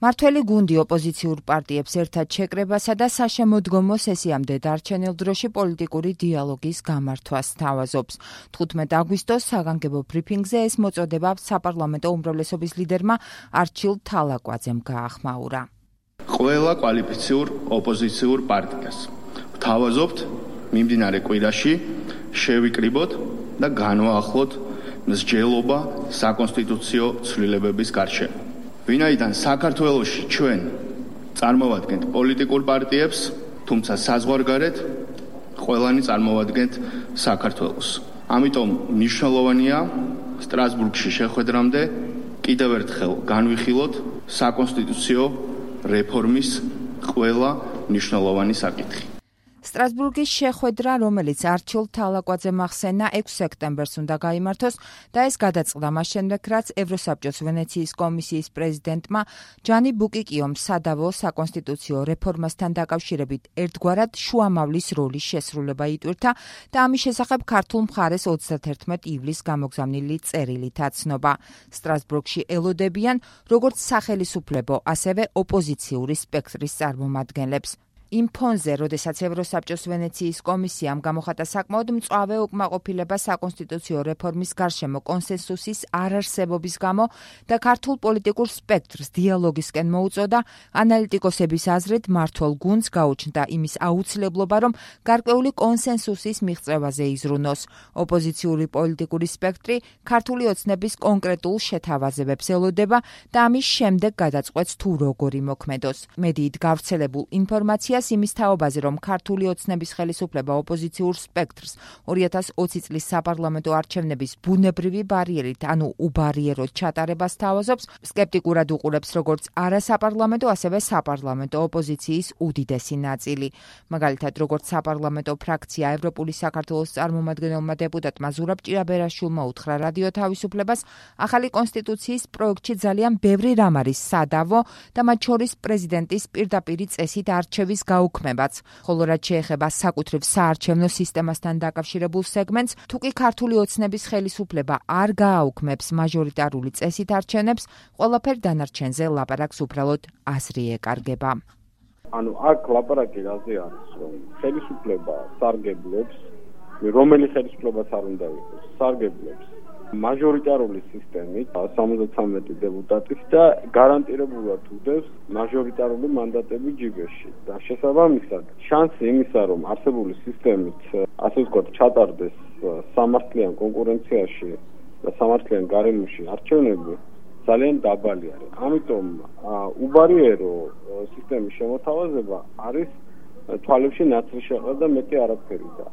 მართველი გუნდი ოპოზიციურ პარტიებს ერთად შეკრებასა და საშემოდგომო სესიამდე დარჩენილ დროში პოლიტიკური დიალოგის გამართვას სთავაზობს. 15 აგვისტოს საგანგებო ბრიფინგზე ეს მოწოდება საპარლამენტო უმრავლესობის ლიდერმა არჩილ თალაკვაძემ გაახმაურა. ყველა კვალიფიციურ ოპოზიციურ პარტიას ვთავაზობთ მიმდინარე კვირაში შევიკრიბოთ და განვაახლოთ მსჯელობა საკონსტიტუციო ცვლილებების გარშემო. ვინაიდან საქართველოში ჩვენ წარმოვადგენთ პოლიტიკურ პარტიებს, თუმცა საზღვარგარეთ ყველანი წარმოვადგენთ საქართველოს. ამიტომ მნიშვნელოვანია სტრასბურგში შეხვედრამდე კიდევ ერთხელ განვიხილოთ საკონსტიტუციო რეფორმის ყველა მნიშვნელოვანი საკითხი. სტრასბურგის შეხვედრა, რომელიც არჩილ თალაკვაძემ ახსენა 6 სექტემბერს უნდა გაიმართოს და ეს გადაწყდა მას შემდეგ, რაც ევროსაბჭოს ვენეციის კომისიის პრეზიდენტმა ჯანი ბუკიკიომ სადავო საკონსტიტუციო რეფორმასთან დაკავშირებით ერთგვარად შუამავლის როლის შესრულება იტვირთა და ამის შესახებ ქართულ მხარეს 31 ივლისს გამოგზავნილი წერილით აცნობა. სტრასბურგში ელოდებიან როგორც სახელისუფლებო, ასევე ოპოზიციური სპექტრის წარმომადგენლებს. იმ ფონზე, როდესაც ევროსაბჭოს ვენეციის კომისიამ გამოხატა საკმაოდ მწვავე უკმაყოფილება საკონსტიტუციო რეფორმის გარშემო კონსენსუსის არარსებობის გამო და ქართულ პოლიტიკურ სპექტრს დიალოგისკენ მოუწოდა, ანალიტიკოსების აზრით მმართველ გუნდს გაუჩნდა იმის აუცილებლობა, რომ გარკვეული კონსენსუსის მიღწევაზე იზრუნოს. ოპოზიციური პოლიტიკური სპექტრი ქართული ოცნების კონკრეტულ შეთავაზებებს ელოდება და ამის შემდეგ გადაწყვეტს თუ როგორი მოქმედოს. მედიით გავრცელებულ ინფორმაციას იმის თაობაზე, რომ ქართული ოცნების ხელისუფლება ოპოზიციურ სპექტრს 2020 წლის საპარლამენტო არჩევნების ბუნებრივი ბარიერით, ანუ უბარიეროდ ჩატარებას თავაზობს, სკეპტიკურად უყურებს როგორც არასაპარლამენტო, ასევე საპარლამენტო ოპოზიციის უდიდესი ნაწილი. მაგალითად, როგორც საპარლამენტო ფრაქცია ევროპული საქართველოს წარმომადგენელმა დეპუტატმა ზურაბ ჭირაბერაშვილმა უთხრა რადიო თავისუფლებას, ახალი კონსტიტუციის პროექტში ძალიან ბევრი რამ არის სადავო და მათ შორის პრეზიდენტის პირდაპირი წესით არჩევის გაუქმებაც, ხოლო რაც შეეხება საკუთრივ საარჩევნო სისტემასთან დაკავშირებულ სეგმენტს, თუ კი ქართული ოცნების ხელისუფლება არ გააუქმებს მაჟორიტარული წესით არჩევნებს, ყველაფერ დანარჩენზე ლაპარაკს უბრალოდ აზრი ეკარგება. ანუ აქ ლაპარაკი რაზე არის, რომ ხელისუფლება სარგებლობს, რომელი ხელისუფლებაც არ უნდა იყოს, სარგებლობს მაჟორიტარული სისტემით 73 დეპუტატის და გარანტირებულად უდევს მაჟორიტარული მანდატები ჯიბეში. და შესაბამისად, შანსი იმისა, რომ არსებული სისტემით, ასე ვთქვათ, ჩატარდეს სამართლიან კონკურენციაში და სამართლიან გარემოში არჩევნები ძალიან დაბალი არის. ამიტომ უბარიერო სისტემის შემოთავაზება არის თვალებში ნაცრისშეყრა და მეტი არაფერი და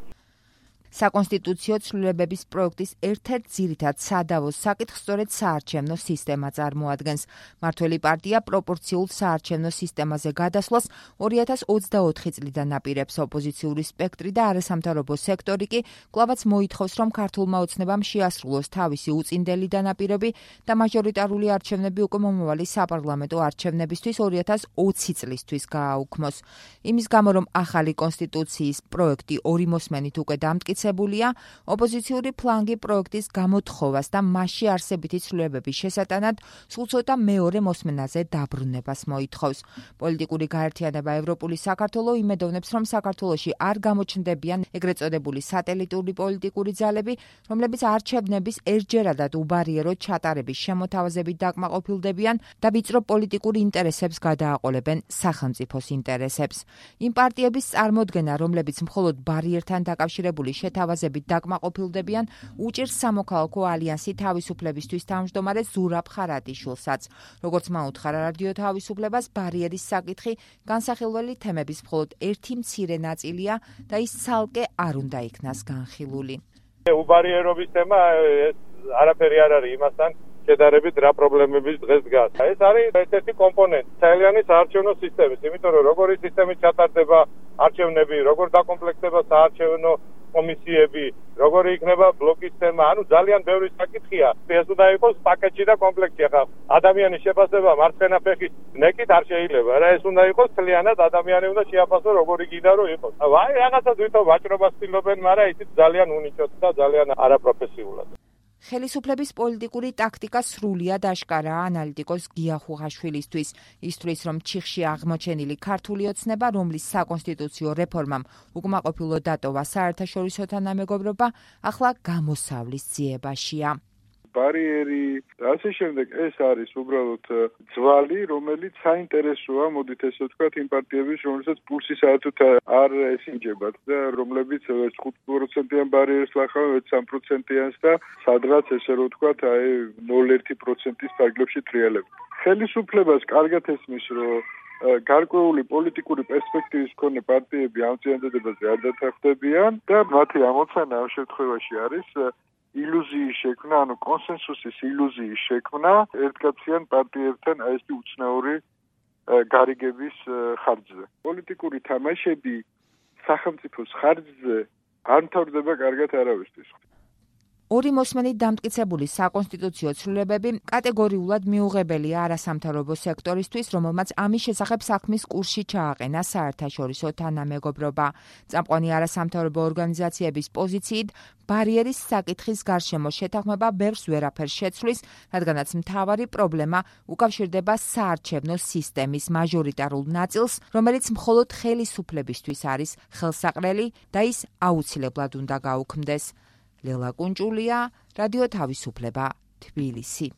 საკონსტიტუციო ცვლილებების პროექტის ერთ-ერთ ძირითად სადავოს საკითხს სწორედ საარჩევნო სისტემა წარმოადგენს. მართველი პარტია პროპორციულ საარჩევნო სისტემაზე გადასვლას 2024 წლიდან აპირებს. ოპოზიციური სპექტრი და არასამთავრობო სექტორი კი კვლავაც მოითხოვს, რომ ქართულმა ოცნებამ შეასრულოს თავისი უწინდელი დანაპირები და მაჟორიტარული არჩევნები უკვე მომავალი საპარლამენტო არჩევნებისთვის 2020 წლისთვის გააუქმოს. იმის გამო, რომ ახალი კონსტიტუციის პროექტი ორი მოსმენით უკვე დამტკიცებულია, ოპოზიციური ფლანგი პროექტის გამოთხოვას და მასში არსებითი ცვლილებების შესატანად სულ ცოტა მეორე მოსმენაზე დაბრუნებას მოითხოვს. პოლიტიკური გაერთიანება ევროპული საქართველო იმედოვნებს, რომ საქართველოში არ გამოჩნდებიან ეგრეთ წოდებული სატელიტური პოლიტიკური ძალები, რომლებიც არჩევნების ერთჯერადად უბარიერო ჩატარების შემოთავაზებით დაკმაყოფილდებიან და ვიწრო პოლიტიკურ ინტერესებს გადააყოლებენ სახელმწიფოს ინტერესებს. იმ პარტიების წარმოდგენა, რომლებიც მხოლოდ ბარიერთან დაკავშირებული შეთავაზებით დაკმაყოფილდებიან, უჭირს სამოქალაქო ალიანსი თავისუფლებისთვის თავმჯდომარე ზურაბ ხარატიშვილსაც. როგორც მან უთხრა რადიო თავისუფლებას, ბარიერის საკითხი განსახილველი თემების მხოლოდ ერთი მცირე ნაწილია და ის ცალკე არ უნდა იქნას განხილული. უბარიერობის თემა არაფერი არ არის იმასთან შედარებით რა პრობლემების დღეს დგას. ეს არის ერთ-ერთი კომპონენტი თელიანი საარჩევნო სისტემის, იმიტომ რომ როგორი სისტემით ჩატარდება არჩევნები, როგორ დაკომპლექტდება საარჩევნო კომისიები, როგორი იქნება ბლოკის თემა, ანუ ძალიან ბევრი საკითხია. ეს უნდა იყოს პაკეტში და კომპლექტში. ახლა ადამიანის შეფასება მარცხენა ფეხის ნეკით არ შეიძლება რა, ეს უნდა იყოს მთლიანად ადამიანი უნდა შეაფასოს როგორი გინდა რომ იყოს. აი რაღაცა თვითონ ვაჭრობას ცდილობენ, მაგრამ ისიც ძალიან უნიჭოდ და ძალიან არაპროფესიულად. ხელისუფლების პოლიტიკური ტაქტიკა სრულიად აშკარაა ანალიტიკოს გია ხუღაშვილისთვის. ისთვის, რომ ჩიხში აღმოჩენილი ქართული ოცნება, რომლის საკონსტიტუციო რეფორმამ უკმაყოფილო დატოვა საერთაშორისო თანამეგობრობა, ახლა გამოსავლის ძიებაშია. ბარიერი და ასე შემდეგ ეს არის უბრალოდ ძვალი, რომელიც საინტერესოა, მოდით ესე ვთქვათ, იმ პარტიების, რომელსაც პულსი საერთოდ არ ესინჯებათ და რომლებიც 5%-იან ბარიერს ლახავენ 3%-იანს და სადღაც ესე რომ ვთქვათ, 0.1%-ის ფარგლებში ტრიალებენ. ხელისუფლებას კარგად ესმის, რომ გარკვეული პოლიტიკური პერსპექტივის მქონე პარტიები ამ წინადადებაზე არ დათანხმდებიან და მათი ამოცანა ამ შემთხვევაში არის ილუზიის შექმნა, ანუ კონსენსუსის ილუზიის შექმნა ერთკაციან პარტიებთან ეს უცნაური გარიგების ხარჯზე. პოლიტიკური თამაშები სახელმწიფოს ხარჯზე არ მთავრდება კარგად არავისთვის. ორი მოსმენით დამტკიცებული საკონსტიტუციო ცვლილებები კატეგორიულად მიუღებელია არასამთავრობო სექტორისთვის, რომელმაც ამის შესახებ საქმის კურსში ჩააყენა საერთაშორისო თანამეგობრობა. წამყვანი არასამთავრობო ორგანიზაციების პოზიციით ბარიერის საკითხის გარშემო შეთანხმება ბევრს ვერაფერს შეცვლის, რადგანაც მთავარი პრობლემა უკავშირდება საარჩევნო სისტემის მაჟორიტარულ ნაწილს, რომელიც მხოლოდ ხელისუფლებისთვის არის ხელსაყრელი და ის აუცილებლად უნდა გაუქმდეს. ლელა კუნჭულია, რადიო თავისუფლება, თბილისი.